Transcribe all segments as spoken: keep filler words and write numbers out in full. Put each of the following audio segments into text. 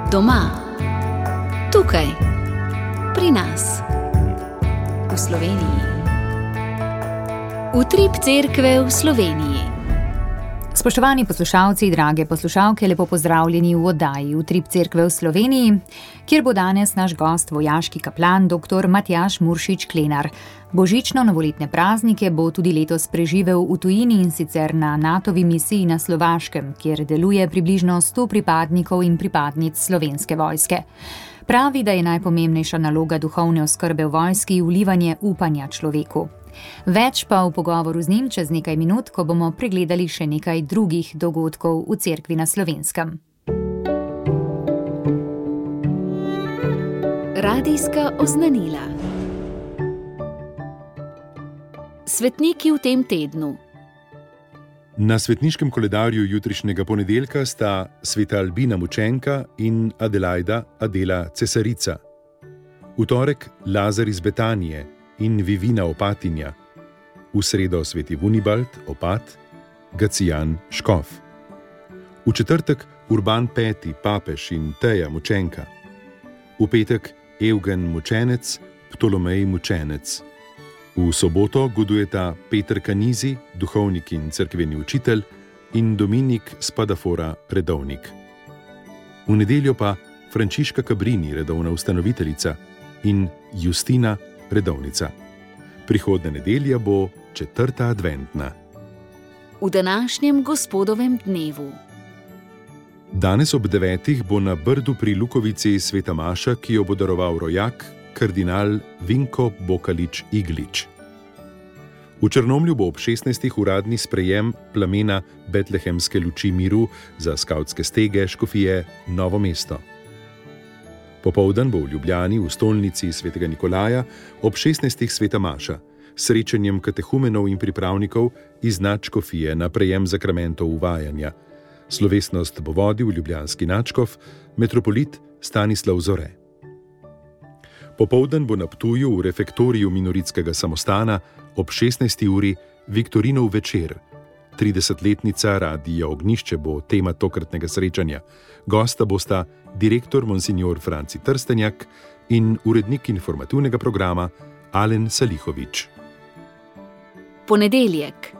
Doma, tukaj, pri nas, v Sloveniji. Utrip cerkve v Sloveniji. Spoštovani poslušalci, drage poslušalke, lepo pozdravljeni v oddaji Utrip cerkve v Sloveniji, kjer bo danes naš gost vojaški kaplan dr. Matjaž Muršič Klenar. Božično-novoletne praznike bo tudi letos preživel v tujini, in sicer na Natovi misiji na Slovaškem, kjer deluje približno sto pripadnikov in pripadnic Slovenske vojske. Pravi, da je najpomembnejša naloga duhovne oskrbe v vojski vlivanje upanja človeku. Več pa v pogovoru z njim čez nekaj minut, ko bomo pregledali še nekaj drugih dogodkov v cerkvi na Slovenskem. Radijska oznanila. Svetniki v tem tednu. Na svetniškem koledarju jutrišnjega ponedeljka sta sveta Albina Mučenka in Adelaida Adela Cesarica. V torek Lazar iz Betanije in Vivina Opatinja. V sredo sveti Vunibald, opat, Gacijan Škof. V četrtek Urban peti, papež in Teja Mučenka. V petek Evgen Mučenec, Ptolomej Mučenec. V soboto godujeta Peter Kanizi, duhovnik in cerkveni učitelj, in Dominik Spadafora, redovnik. V nedeljo pa Frančiška Cabrini, redovna ustanoviteljica, in Justina, redovnica. Prihodnja nedelja bo četrta adventna. V današnjem gospodovem dnevu. Danes ob devetih bo na Brdu pri Lukovici sveta maša, ki jo bo daroval rojak, kardinal Vinko Bokalič Iglič. V Črnomlju bo ob šestnajstih uradni sprejem plamena Betlehemske luči miru za skavtske stege škofije Novo mesto. Popoldan bo v Ljubljani v stolnici svetega Nikolaja ob šestnajstih sveta maša, srečanjem katehumenov in pripravnikov iz nadškofije na prejem zakramentov uvajanja. Slovesnost bo vodil ljubljanski nadškof, metropolit Stanislav Zore. Popoldan bo na Ptuju v refektoriju minoritskega samostana ob šestnajsti uri Viktorinov večer. tridesetletnica Radija Ognjišče bo tema tokratnega srečanja. Gosta bosta direktor monsignor Franci Trstenjak in urednik informativnega programa Alen Salihovič. Ponedeljek.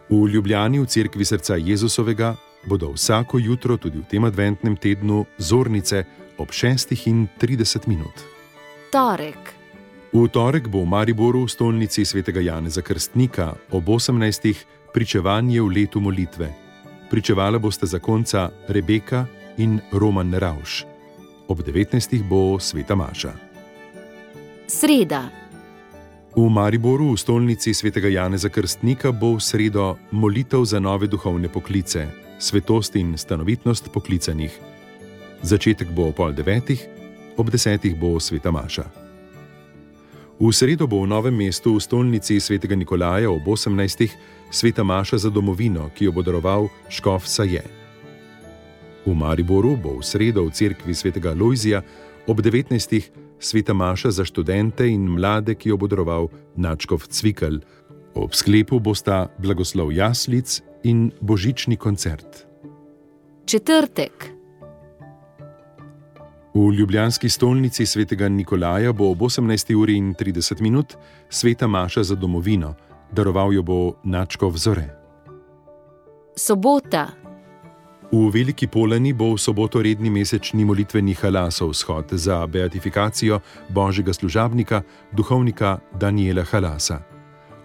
V Ljubljani v cerkvi srca Jezusovega bodo vsako jutro tudi v tem adventnem tednu zornice ob šestih in trideset minut. Torek. V torek bo v Mariboru v stolnici svetega Janeza Krstnika ob osemnajstih pričevanje v letu molitve. Pričevala bosta zakonca Rebeka in Roman Ravš. Ob devetnajstih bo sveta maša. Sreda. V Mariboru v stolnici svetega Janeza Krstnika bo v sredo molitev za nove duhovne poklice, svetost in stanovitnost poklicanih. Začetek bo ob pol devetih, ob desetih bo sveta maša. V sredo bo v Novem mestu v stolnici svetega Nikolaja ob osemnajstih sveta maša za domovino, ki jo bo daroval škof Saje. V Mariboru bo v sredo v cerkvi svetega Lojzija ob devetnajstih sveta maša za študente in mlade, ki jo bo daroval nadškof Cvikl. Ob sklepu bosta blagoslov jaslic in božični koncert. Četrtek. V ljubljanski stolnici svetega Nikolaja bo ob osemnajsti uri in trideset minut sveta maša za domovino, daroval jo bo nadškof Zore. Sobota. V Veliki Polani bo v soboto redni mesečni molitveni halasov shod za beatifikacijo božjega služabnika, duhovnika Daniela Halasa.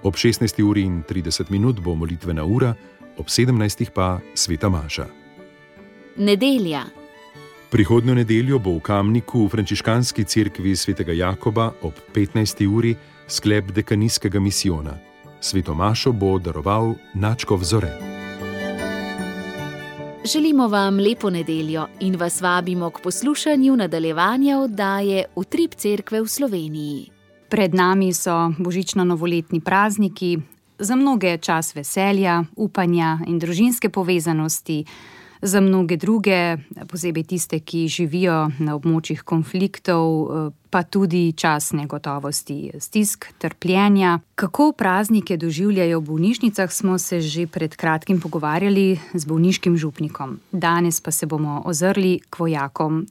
Ob šestnajsti uri in trideset minut bo molitvena ura, ob sedemnajstih pa sveta maša. Nedelja. Prihodnjo nedeljo bo v Kamniku v frančiškanski cerkvi svetega Jakoba ob petnajsti uri sklep dekanijskega misijona. Sveto mašo bo daroval nadškof Zore. Želimo vam lepo nedeljo in vas vabimo k poslušanju nadaljevanja oddaje Utrip cerkve v Sloveniji. Pred nami so božično-novoletni prazniki, za mnoge čas veselja, upanja in družinske povezanosti, Za mnoge druge, posebej tiste, ki živijo na območjih konfliktov, pa tudi čas negotovosti, stisk, trpljenja. Kako praznike doživljajo v bolnišnicah, smo se že pred kratkim pogovarjali z bolniškim župnikom. Danes pa se bomo ozrli k vojakom.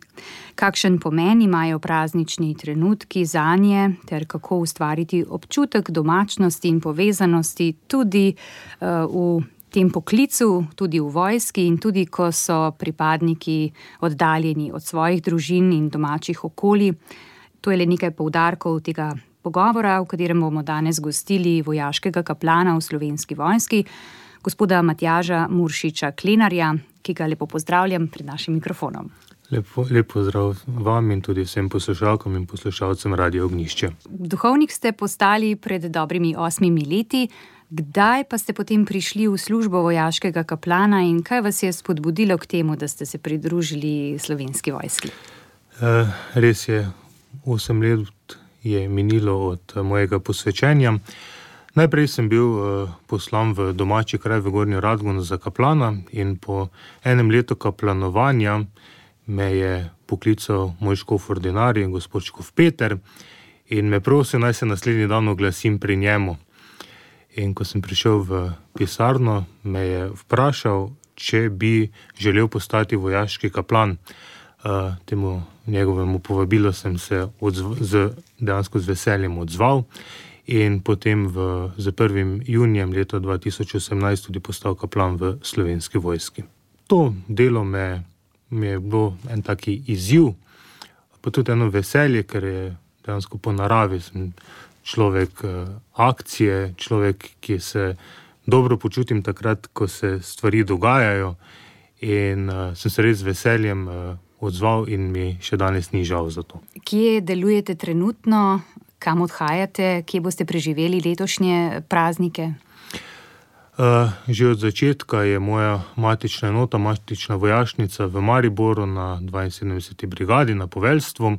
Kakšen pomen imajo praznični trenutki zanje, ter kako ustvariti občutek domačnosti in povezanosti tudi uh, v tem poklicu, tudi v vojski in tudi, ko so pripadniki oddaljeni od svojih družin in domačih okolij. To je le nekaj poudarkov tega pogovora, v katerem bomo danes gostili vojaškega kaplana v Slovenski vojski, gospoda Matjaža Muršiča Klenarja, ki ga lepo pozdravljam pred našim mikrofonom. Lepo, lep pozdrav vam in tudi vsem poslušalkam in poslušalcem Radio Ognjišče. Duhovnik ste postali pred dobrimi osmimi leti. Kdaj pa ste potem prišli v službo vojaškega kaplana in kaj vas je spodbudilo k temu, da ste se pridružili Slovenski vojski? E, res je, osem let je minilo od mojega posvečenja. Najprej sem bil e, poslan v domači kraj v Gornjo Radgono za kaplana in po enem letu kaplanovanja me je poklical moj škof ordinarij, gospod škof Peter, in me prosil, naj se naslednji dan oglasim pri njemu. In ko sem prišel v pisarno, me je vprašal, če bi želel postati vojaški kaplan. Uh, temu njegovemu povabilu sem se odzv, z, dejansko z veseljem odzval in potem v, z prvim junijem leta dva tisoč osemnajst tudi postal kaplan v Slovenski vojski. To delo me, me je bilo en taki izziv, pa tudi eno veselje, ker je dejansko po naravi sem človek akcije, človek, ki se dobro počutim takrat, ko se stvari dogajajo in uh, sem se res z veseljem uh, odzval in mi še danes ni žal za to. Kje delujete trenutno, kam odhajate, kje boste preživeli letošnje praznike? Uh, že od začetka je moja matična enota, matična vojašnica v Mariboru na dvainsedemdeseti brigadi na poveljstvu.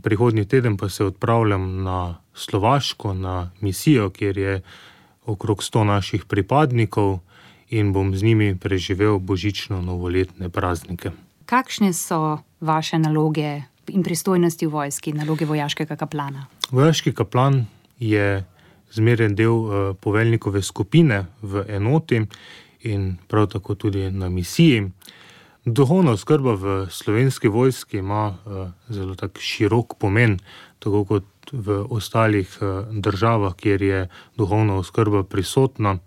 Prihodnji teden pa se odpravljam na Slovaško, na misijo, kjer je okrog sto naših pripadnikov in bom z njimi preživel božično-novoletne praznike. Kakšne so vaše naloge in pristojnosti v vojski, naloge vojaškega kaplana? Vojaški kaplan je zmeren del uh, poveljnikove skupine v enoti in prav tako tudi na misiji. Duhovna oskrba v Slovenski vojski ima uh, zelo tak širok pomen, tako kot v ostalih uh, državah, kjer je duhovna oskrba prisotna,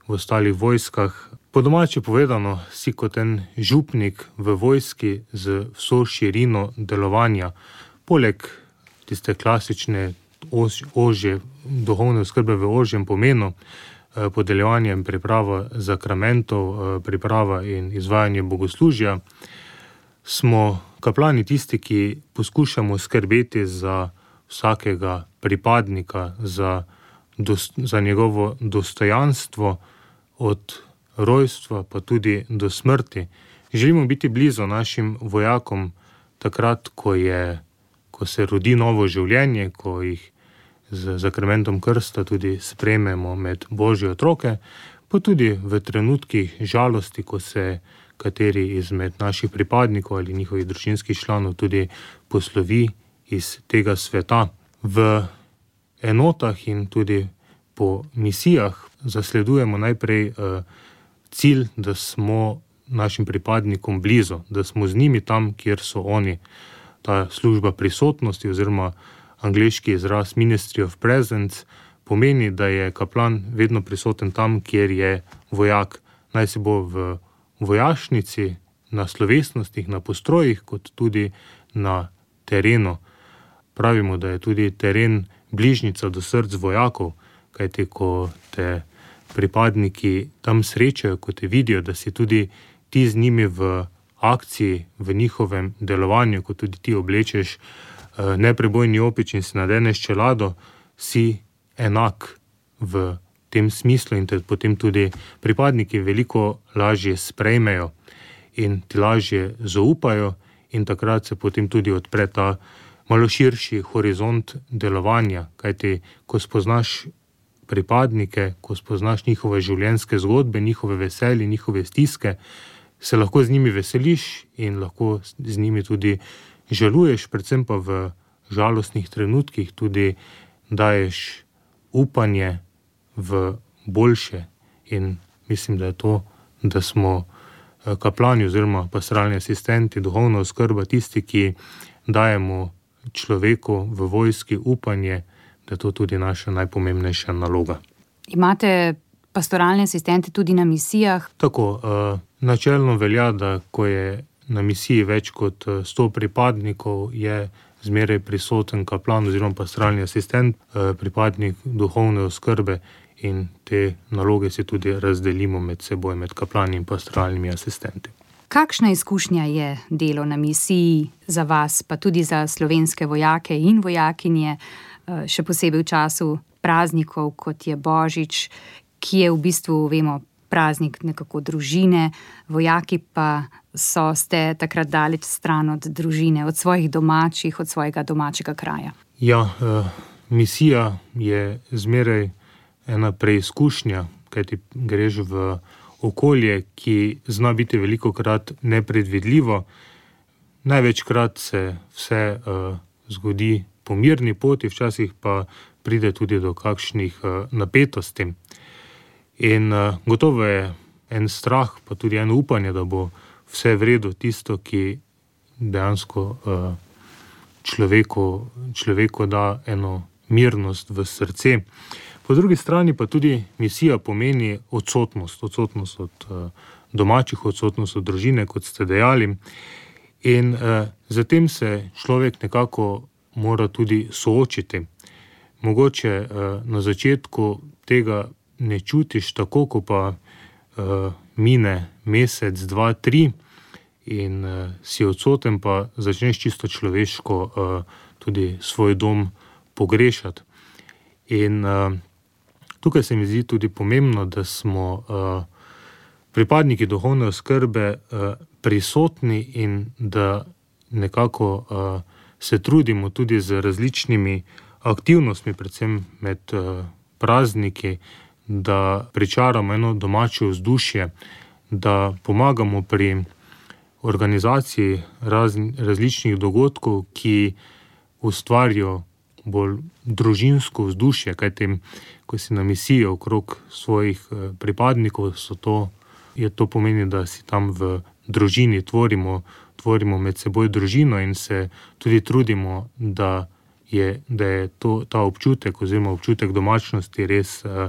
v ostalih vojskah. Po domače povedano, si kot en župnik v vojski z vso širino delovanja, poleg tiste klasične ož, ožje, duhovne oskrbe v ožjem pomenu, podeljevanje in priprava zakramentov, priprava in izvajanje bogoslužja, smo kaplani tisti, ki poskušamo skrbeti za vsakega pripadnika, za, dos, za njegovo dostojanstvo od rojstva pa tudi do smrti. Želimo biti blizu našim vojakom takrat, ko, je, ko se rodi novo življenje, ko jih z zakramentom krsta tudi sprejmemo med Božje otroke, pa tudi v trenutkih žalosti, ko se kateri izmed naših pripadnikov ali njihovih družinskih članov tudi poslovi iz tega sveta. V enotah in tudi po misijah zasledujemo najprej eh, cilj, da smo našim pripadnikom blizu, da smo z njimi tam, kjer so oni. Ta služba prisotnosti oziroma angleški izraz Ministry of Presence pomeni, da je kaplan vedno prisoten tam, kjer je vojak. Naj se bo v vojašnici, na slovesnostih, na postrojih, kot tudi na terenu. Pravimo, da je tudi teren bližnjica do src vojakov, kajti ko te pripadniki tam srečajo, ko te vidijo, da si tudi ti z njimi v akciji, v njihovem delovanju, ko tudi ti oblečeš neprebojni opič in si nadeneš čelado, si enak v tem smislu in te potem tudi pripadniki veliko lažje sprejmejo in ti lažje zaupajo in takrat se potem tudi odpre ta malo širši horizont delovanja, kajti ko spoznaš pripadnike, ko spoznaš njihove življenjske zgodbe, njihove veselje, njihove stiske, se lahko z njimi veseliš in lahko z njimi tudi žaluješ, predvsem pa v žalostnih trenutkih tudi daješ upanje v boljše. In mislim, da je to, da smo kaplani oziroma pastoralni asistenti, duhovna oskrba, tisti, ki dajemo človeku v vojski upanje, da je to tudi naša najpomembnejša naloga. Imate pastoralne asistente tudi na misijah? Tako, načelno velja, da ko je na misiji več kot sto pripadnikov, je zmeraj prisoten kaplan oziroma pastoralni asistent, pripadnik duhovne oskrbe, in te naloge si tudi razdelimo med seboj, med kaplani in pastoralnimi asistenti. Kakšna izkušnja je delo na misiji za vas, pa tudi za slovenske vojake in vojakinje, še posebej v času praznikov, kot je Božič, ki je v bistvu, vemo, praznik nekako družine, vojaki pa so ste takrat daleč stran od družine, od svojih domačih, od svojega domačega kraja. Ja, misija je zmeraj ena preizkušnja, kajti greš v okolje, ki zna biti velikokrat nepredvidljivo. Največkrat se vse uh, zgodi po mirni poti, včasih pa pride tudi do kakšnih uh, napetosti. In uh, gotovo je en strah, pa tudi eno upanje, da bo vse v redu, tisto, ki dejansko uh, človeku, človeku da eno mirnost v srce. Po drugi strani pa tudi misija pomeni odsotnost, odsotnost od uh, domačih, odsotnost od družine, kot ste dejali. In uh, zatem se človek nekako mora tudi soočiti. Mogoče uh, na začetku tega ne čutiš tako, ko pa uh, mine mesec, dva, tri in uh, si odsoten, pa začneš čisto človeško uh, tudi svoj dom pogrešati. In uh, tukaj se mi zdi tudi pomembno, da smo uh, pripadniki duhovne oskrbe uh, prisotni in da nekako uh, se trudimo tudi z različnimi aktivnostmi, predvsem med uh, prazniki, da pričaramo eno domače vzdušje, da pomagamo pri organizaciji raz, različnih dogodkov, ki ustvarijo bolj družinsko vzdušje, kajti ko si na misiji okrog svojih pripadnikov, so to, je to pomeni, da si tam v družini tvorimo, tvorimo med seboj družino in se tudi trudimo, da je, da je to, ta občutek oziroma občutek domačnosti res uh,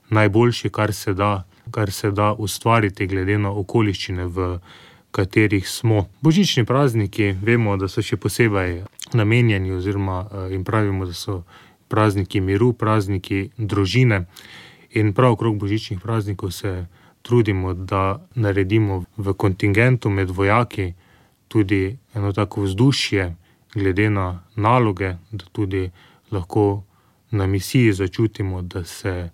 najboljši, kar se da, kar se da ustvariti glede na okoliščine, v katerih smo. Božični prazniki, vemo, da so še posebej namenjeni oziroma uh, in pravimo, da so prazniki miru, prazniki družine, in prav okrog božičnih praznikov se trudimo, da naredimo v kontingentu med vojaki tudi eno tako vzdušje glede na naloge, da tudi lahko na misiji začutimo, da, se,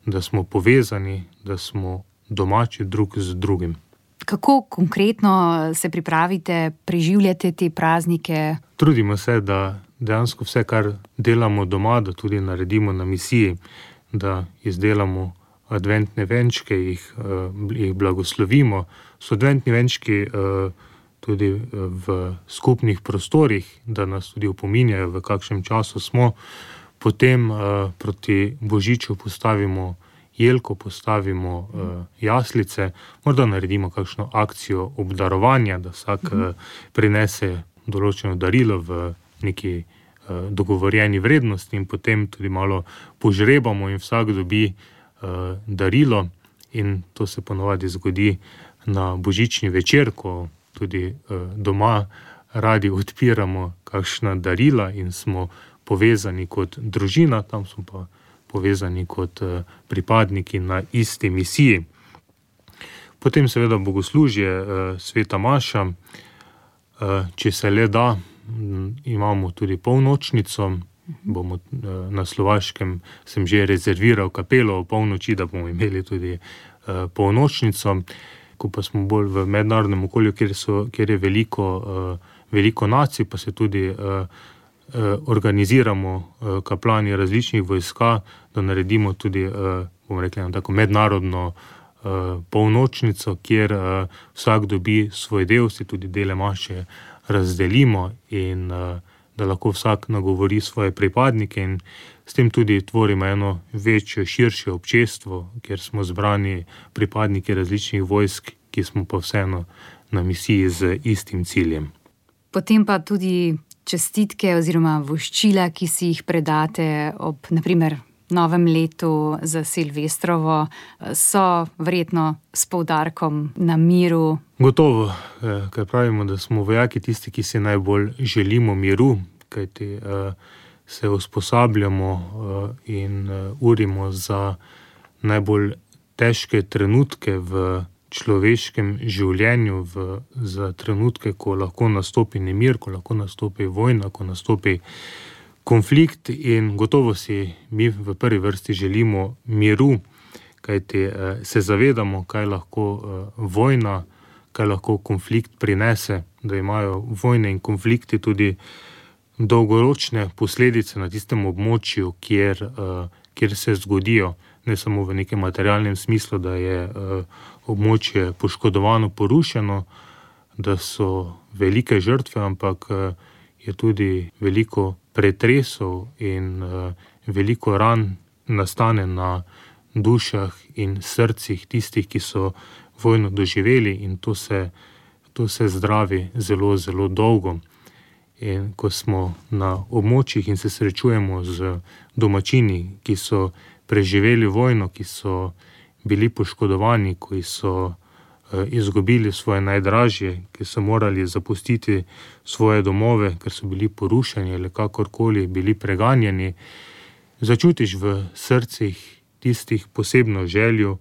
da smo povezani, da smo domači drug z drugim. Kako konkretno se pripravite, preživljate te praznike? Trudimo se, da dejansko vse, kar delamo doma, da tudi naredimo na misiji, da izdelamo adventne venčke, jih, jih blagoslovimo. So adventni venčki tudi v skupnih prostorih, da nas tudi opominjajo, v kakšnem času smo. Potem proti Božiču postavimo jelko, postavimo jaslice, morda naredimo kakšno akcijo obdarovanja, da vsak prinese določeno darilo v neki dogovorjeni vrednosti in potem tudi malo požrebamo in vsak dobi darilo, in to se ponovadi zgodi na božični večer, ko tudi doma radi odpiramo kakšna darila in smo povezani kot družina, tam smo pa povezani kot pripadniki na isti misiji. Potem seveda bogoslužje, sveta maša, če se le da, imamo tudi polnočnico, bomo na Slovaškem, sem že rezerviral kapelo o polnoči, da bomo imeli tudi polnočnico. Ko pa smo bolj v mednarodnem okolju, kjer, so, kjer je veliko, veliko nacij, pa se tudi organiziramo kaplani različnih vojska, da naredimo tudi, bomo rekli, tako mednarodno uh, polnočnico, kjer uh, vsak dobi svoj del, si tudi dele maše razdelimo in uh, da lahko vsak nagovori svoje pripadnike in s tem tudi tvorimo eno večje, širše občestvo, kjer smo zbrani pripadniki različnih vojsk, ki smo pa vseeno na misiji z istim ciljem. Potem pa tudi čestitke oziroma voščila, ki si jih predate ob, naprimer, novem letu za Silvestrovo, so verjetno s poudarkom na miru. Gotovo, ker pravimo, da smo vojaki tisti, ki si najbolj želimo miru, kajti se usposabljamo in urimo za najbolj težke trenutke v človeškem življenju, v, za trenutke, ko lahko nastopi nemir, ko lahko nastopi vojna, ko nastopi konflikt in gotovo si mi v prvi vrsti želimo miru, kajti se zavedamo, kaj lahko vojna, kaj lahko konflikt prinese, da imajo vojne in konflikti tudi dolgoročne posledice na tistem območju, kjer, kjer se zgodijo, ne samo v nekem materialnem smislu, da je območje poškodovano, porušeno, da so velike žrtve, ampak je tudi veliko pretresov in uh, veliko ran nastane na dušah in srcih tistih, ki so vojno doživeli in to se, to se zdravi zelo, zelo dolgo. In ko smo na območjih in se srečujemo z domačini, ki so preživeli vojno, ki so bili poškodovani, ki so izgubili svoje najdražje, ki so morali zapustiti svoje domove, ker so bili porušeni ali kakorkoli bili preganjeni, začutiš v srcih tistih posebno željo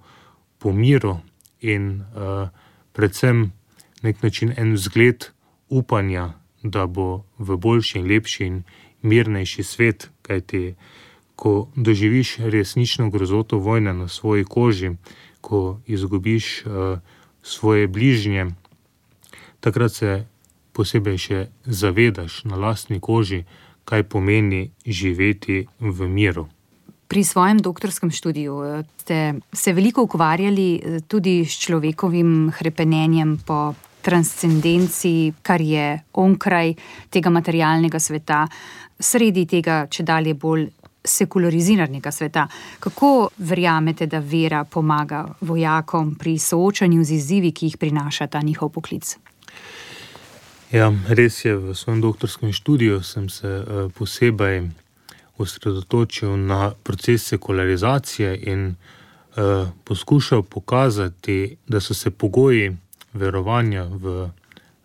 po miru in uh, predvsem nek način en vzgled upanja, da bo v boljši in lepši in mirnejši svet, kajti ko doživiš resnično grozoto vojne na svoji koži, ko izgubiš uh, svoje bližnje, takrat se posebej še zavedaš na lastni koži, kaj pomeni živeti v miru. Pri svojem doktorskem študiju ste se veliko ukvarjali tudi s človekovim hrepenenjem po transcendenciji, kar je onkraj tega materialnega sveta, sredi tega čedalje bolj sekulariziranega sveta. Kako verjamete, da vera pomaga vojakom pri soočanju z izzivi, ki jih prinaša ta njihov poklic? Ja, res je, v svojem doktorskem študiju sem se uh, posebej osredotočil na proces sekularizacije in uh, poskušal pokazati, da so se pogoji verovanja v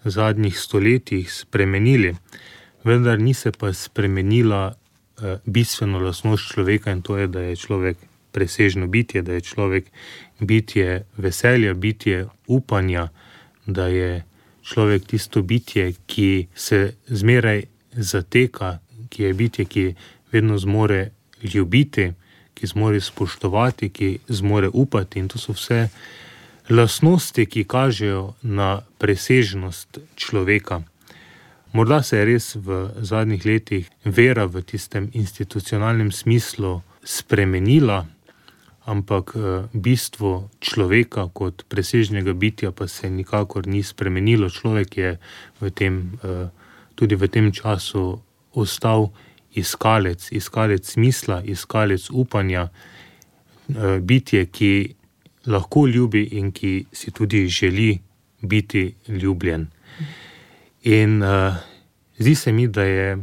zadnjih stoletjih spremenili, vendar ni se pa spremenila bistveno lastnost človeka in to je, da je človek presežno bitje, da je človek bitje veselja, bitje upanja, da je človek tisto bitje, ki se zmeraj zateka, ki je bitje, ki vedno zmore ljubiti, ki zmore spoštovati, ki zmore upati in to so vse lastnosti, ki kažejo na presežnost človeka. Morda se je res v zadnjih letih vera v tistem institucionalnem smislu spremenila, ampak bistvo človeka kot presežnega bitja pa se nikakor ni spremenilo. Človek je v tem, tudi v tem času ostal iskalec, iskalec smisla, iskalec upanja, bitje, ki lahko ljubi in ki si tudi želi biti ljubljen. In uh, zdi se mi, da je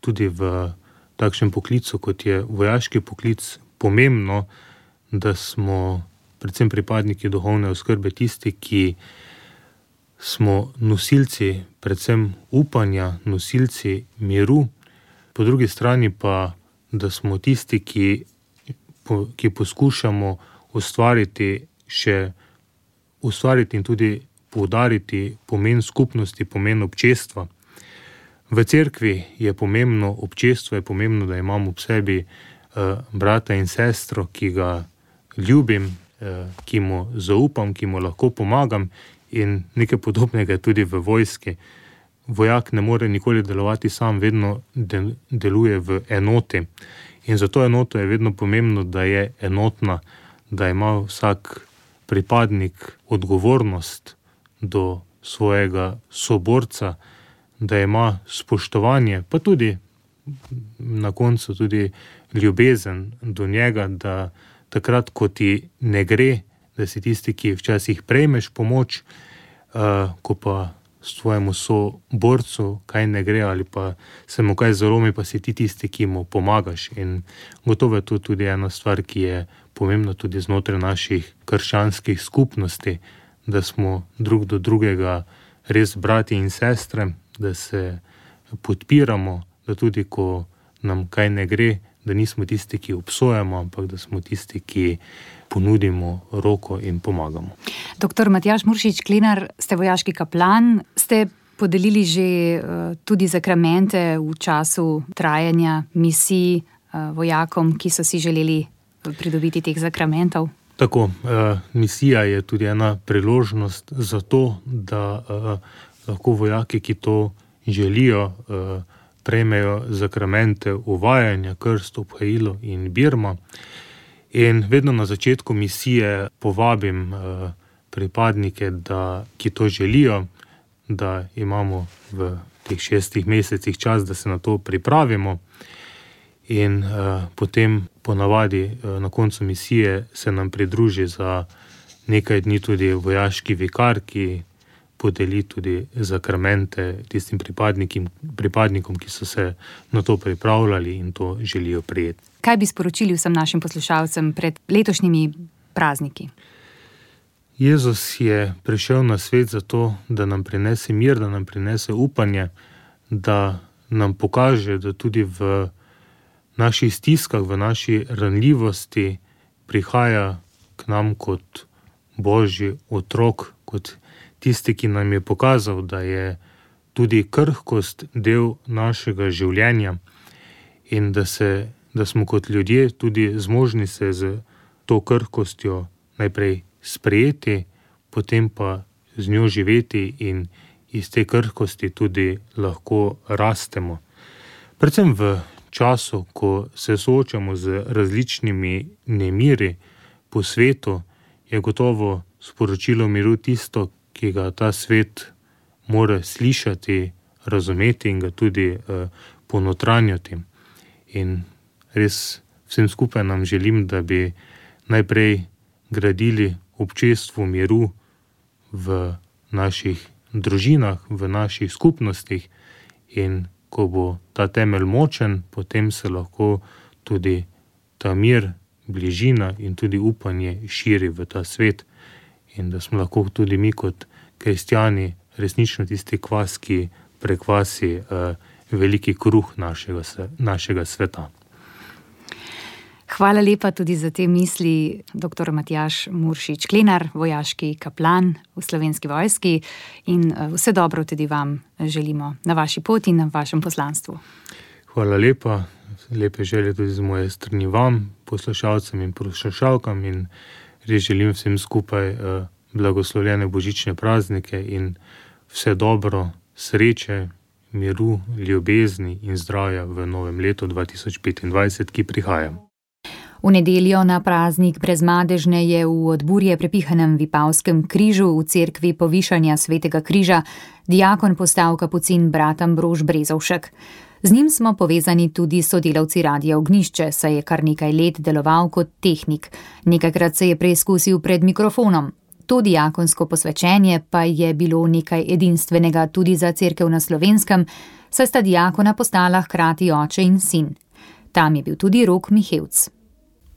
tudi v takšnem poklicu, kot je vojaški poklic, pomembno, da smo predvsem pripadniki duhovne oskrbe tisti, ki smo nosilci predvsem upanja, nosilci miru, po drugi strani pa, da smo tisti, ki, po, ki poskušamo ustvariti še ustvariti in tudi poudariti pomen skupnosti, pomen občestva. V cerkvi je pomembno občestvo, je pomembno, da imamo ob sebi uh, brata in sestro, ki ga ljubim, uh, ki mu zaupam, ki mu lahko pomagam in nekaj podobnega tudi v vojski. Vojak ne more nikoli delovati sam, vedno del, deluje v enoti. In za to enoto je vedno pomembno, da je enotna, da ima vsak pripadnik odgovornost do svojega soborca, da ima spoštovanje, pa tudi na koncu tudi ljubezen do njega, da takrat, ko ti ne gre, da si tisti, ki včasih prejmeš pomoč, uh, ko pa svojemu soborcu kaj ne gre ali pa se mu kaj zalomi, pa si ti tisti, ki mu pomagaš. In gotovo je to tudi ena stvar, ki je pomembna tudi znotraj naših krščanskih skupnosti, da smo drug do drugega res brati in sestre, da se podpiramo, da tudi ko nam kaj ne gre, da nismo tisti, ki obsojamo, ampak da smo tisti, ki ponudimo roko in pomagamo. Doktor Matjaž Muršič Klenar, ste vojaški kaplan, ste podelili že uh, tudi zakramente v času trajanja misij uh, vojakom, ki so si želeli pridobiti teh zakramentov. Tako, uh, misija je tudi ena priložnost za to, da uh, lahko vojaki, ki to želijo, uh, prejmejo zakramente uvajanja, krst, obhajilo in birma. In vedno na začetku misije povabim uh, pripadnike, da, ki to želijo, da imamo v teh šestih mesecih čas, da se na to pripravimo. In uh, potem ponavadi uh, na koncu misije se nam pridruži za nekaj dni tudi vojaški vikar, ki podeli tudi zakramente tistim pripadnikom, pripadnikom, ki so se na to pripravljali in to želijo prijeti. Kaj bi sporočili vsem našim poslušalcem pred letošnjimi prazniki? Jezus je prišel na svet zato, da nam prinese mir, da nam prinese upanje, da nam pokaže, da tudi v naših stiskah, v naši ranljivosti prihaja k nam kot Božji otrok, kot tisti, ki nam je pokazal, da je tudi krhkost del našega življenja in da, se, da smo kot ljudje tudi zmožni se z to krhkostjo najprej sprejeti, potem pa z njo živeti in iz te krhkosti tudi lahko rastemo. Predvsem v času, ko se soočamo z različnimi nemiri po svetu, je gotovo sporočilo miru tisto, ki ga ta svet mora slišati, razumeti in ga tudi eh, ponotranjati. In res vsem skupaj nam želim, da bi najprej gradili občestvo miru v naših družinah, v naših skupnostih in ko bo ta temelj močen, potem se lahko tudi ta mir, bližina in tudi upanje širi v ta svet in da smo lahko tudi mi kot kristjani resnično tisti kvas, ki prekvasi eh, veliki kruh našega, našega sveta. Hvala lepa tudi za te misli, doktor Matjaž Muršič Klenar, vojaški kaplan v Slovenski vojski in vse dobro tudi vam želimo na vaši poti in na vašem poslanstvu. Hvala lepa, lepe želje tudi z moje strani vam, poslušalcem in poslušalkam in res želim vsem skupaj uh, blagoslovljene božične praznike in vse dobro, sreče, miru, ljubezni in zdravja v novem letu dva tisoč petindvajset, ki prihaja. V nedeljo na praznik Brezmadežne je v Odburje prepihanem Vipavskem križu v cerkvi Povišanja Svetega križa diakon postal kapucin brat Ambrož Brezovšek. Z njim smo povezani tudi sodelavci Radia Ognjišče, saj je kar nekaj let deloval kot tehnik. Nekajkrat se je preizkusil pred mikrofonom. To diakonsko posvečenje pa je bilo nekaj edinstvenega tudi za cerkev na Slovenskem, saj sta diakona postala hkrati oče in sin. Tam je bil tudi Rok Mihevc.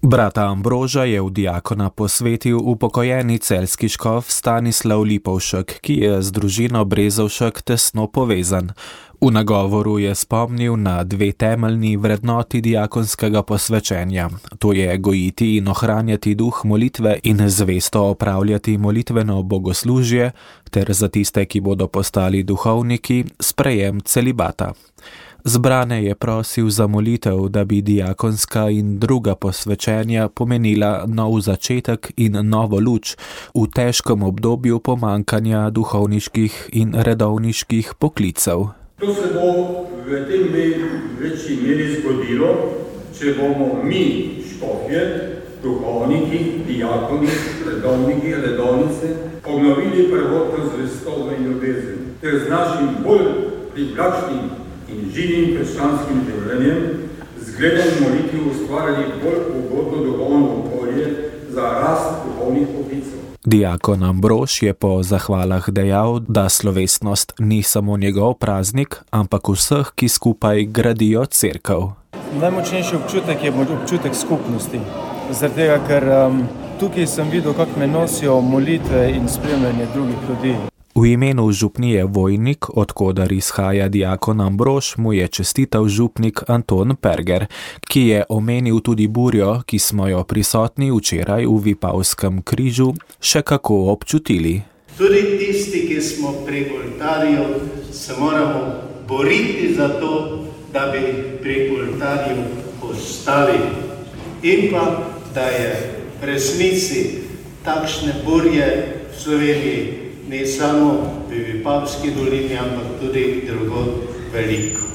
Brata Ambroža je v diakona posvetil upokojeni celjski škof Stanislav Lipovšek, ki je z družino Brezovšek tesno povezan. V nagovoru je spomnil na dve temeljni vrednoti diakonskega posvečenja. To je gojiti in ohranjati duh molitve in zvesto opravljati molitveno bogoslužje, ter za tiste, ki bodo postali duhovniki, sprejem celibata. Zbrane je prosil za molitev, da bi diakonska in druga posvečenja pomenila nov začetek in novo luč v težkem obdobju pomankanja duhovniških in redovniških poklicev. To se bo v tem večji meri zgodilo, če bomo mi, škofje, duhovniki, dijakoni, redovniki, redovnice obnovili prvotno zvestobo in ljubezen, ter z našim bolj privlačnim in živim krščanskim življenjem zgledom molitvi ustvarjali bolj ugodno duhovno okolje za rast duhovnih poklicev. Diakon Ambrož je po zahvalah dejal, da slovesnost ni samo njegov praznik, ampak vseh, ki skupaj gradijo cerkev. Najmočnejši občutek je občutek skupnosti. Zaradi tega, ker um, tukaj sem videl, kako me nosijo molitve in spremljanje drugih ljudi. V imenu župnije Vojnik, odkudar izhaja diakon Ambrož, mu je čestital župnik Anton Perger, ki je omenil tudi burjo, ki smo jo prisotni včeraj v Vipavskem križu še kako občutili. Tudi tisti, ki smo pri oltarju, se moramo boriti za to, da bi pri oltarju ostali. In pa, da je v resnici takšne burje v Sloveniji ne samo v Vipavski dolini, ampak tudi drugod veliko.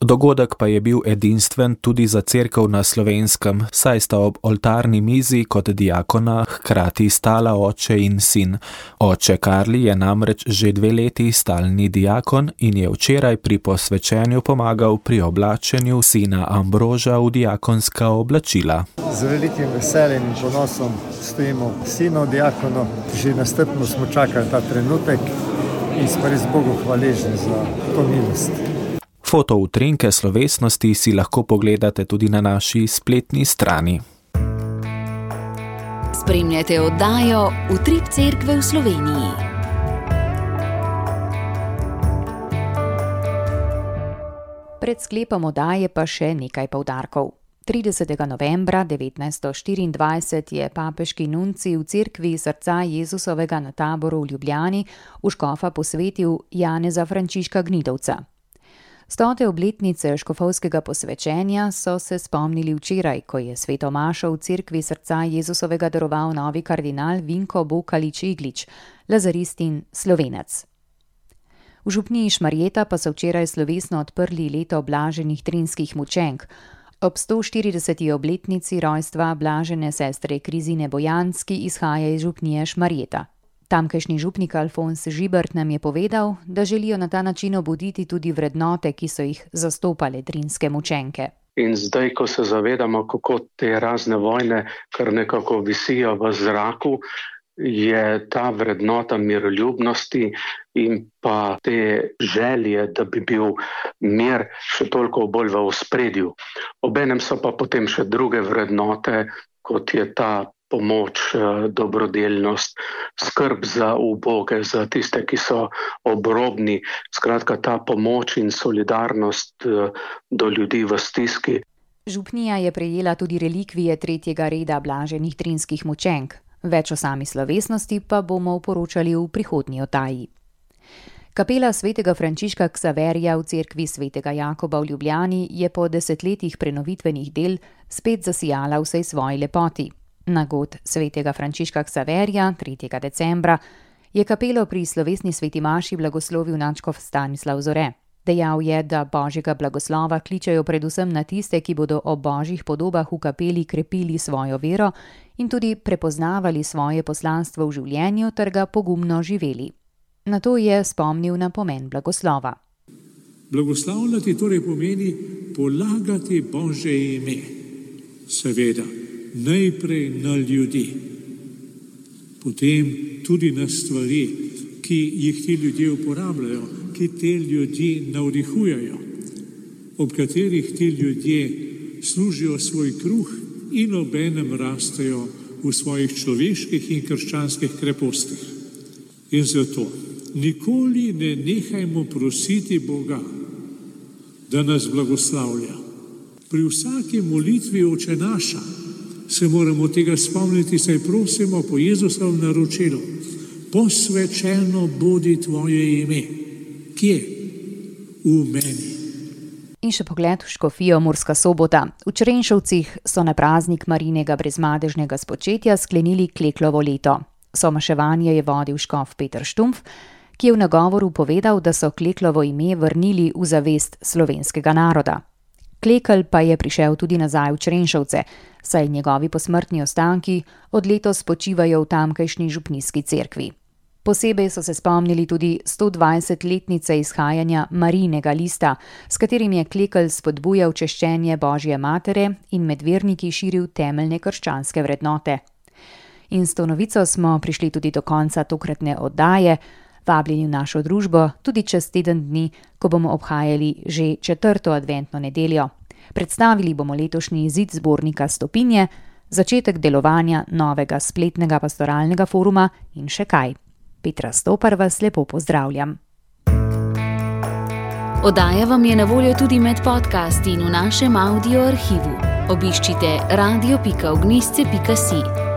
Dogodek pa je bil edinstven tudi za cerkev na Slovenskem, saj sta ob oltarni mizi kot diakona hkrati stala oče in sin. Oče Karli je namreč že dve leti stalni diakon in je včeraj pri posvečenju pomagal pri oblačenju sina Ambroža v diakonska oblačila. Z velikim veseljem in ponosom stojimo sinu diakonu. Že nastrpno smo čakali ta trenutek in smo res Bogu hvaležni za to milost. Foto utrinke slovesnosti si lahko pogledate tudi na naši spletni strani. Spremljate oddajo Utrip cerkve v Sloveniji. Pred sklepom oddaje pa še nekaj poudarkov. tridesetega novembra devetnajststo štiriindvajset je papeški nuncij v cerkvi Srca Jezusovega na Taboru v Ljubljani v škofa posvetil Janeza Frančiška Gnidovca. Stote obletnice škofovskega posvečenja so se spomnili včeraj, ko je sveto mašo v cerkvi Srca Jezusovega daroval novi kardinal Vinko Bokalič-Iglič, lazarist in slovenec. V župniji Šmarjeta pa so včeraj slovesno odprli leto blaženih trinskih mučenk. Ob sto štirideseti obletnici rojstva blažene sestre Krizine Bojanc, ki izhaja iz župnije Šmarjeta. Tamkajšnji župnik Alfons Žibert nam je povedal, da želijo na ta način obuditi tudi vrednote, ki so jih zastopale trinske mučenke. In zdaj, ko se zavedamo, kako te razne vojne kar nekako visijo v zraku, je ta vrednota miroljubnosti in pa te želje, da bi bil mir še toliko bolj v ospredju. Obenem so pa potem še druge vrednote, kot je ta pomoč, dobrodelnost, skrb za uboge, za tiste, ki so obrobni. Skratka, ta pomoč in solidarnost do ljudi v stiski. Župnija je prejela tudi relikvije tretjega reda blaženih trinskih mučenk. Več o sami slovesnosti pa bomo poročali v prihodnji oddaji. Kapela svetega Frančiška Ksaverija v cerkvi svetega Jakoba v Ljubljani je po desetletjih prenovitvenih del spet zasijala v vsej svoji lepoti. Na god svetega Frančiška Ksaverija tretjega decembra je kapelo pri slovesni sveti maši blagoslovil nadškof Stanislav Zore. Dejal je, da božjega blagoslova kličejo predvsem na tiste, ki bodo ob božjih podobah v kapeli krepili svojo vero in tudi prepoznavali svoje poslanstvo v življenju ter ga pogumno živeli. Na to je spomnil na pomen blagoslova. Blagoslavljati torej pomeni polagati Božje ime. Seveda, najprej na ljudi, potem tudi na stvari, ki jih ti ljudje uporabljajo, ki te ljudi navdihujejo, ob katerih ti ljudje služijo svoj kruh in obenem rastejo v svojih človeških in krščanskih krepostih. In zato nikoli ne nehajmo prositi Boga, da nas blagoslavlja. Pri vsaki molitvi Oče naša se moramo tega spomniti, saj prosimo po Jezusovem naročilu: posvečeno bodi tvoje ime. Kje? V meni. In še pogled v škofijo Murska Sobota. V Črenšovcih so na praznik Marinega brezmadežnega spočetja sklenili Kleklovo leto. Somaševanje je vodil škof Peter Štumpf, ki je v nagovoru povedal, da so Kleklovo ime vrnili v zavest slovenskega naroda. Klekelj pa je prišel tudi nazaj v Črenšovce, saj njegovi posmrtni ostanki od letos počivajo v tamkajšnji župnijski cerkvi. Posebej so se spomnili tudi stodvajsetletnice izhajanja Marijinega lista, s katerim je Klekelj spodbujal češčenje Božje matere in med verniki širil temeljne krščanske vrednote. In s to novico smo prišli tudi do konca tokratne oddaje, vabljeni v našo družbo tudi čez teden dni, ko bomo obhajali že četrto adventno nedeljo. Predstavili bomo letošnji izid zbornika Stopinje, začetek delovanja novega spletnega pastoralnega foruma in še kaj. Petra Stopar vas lepo pozdravljam. Oddaja vam je na voljo tudi med podcasti in v našem audio arhivu. Obiščite radio pika ognjišče pika si.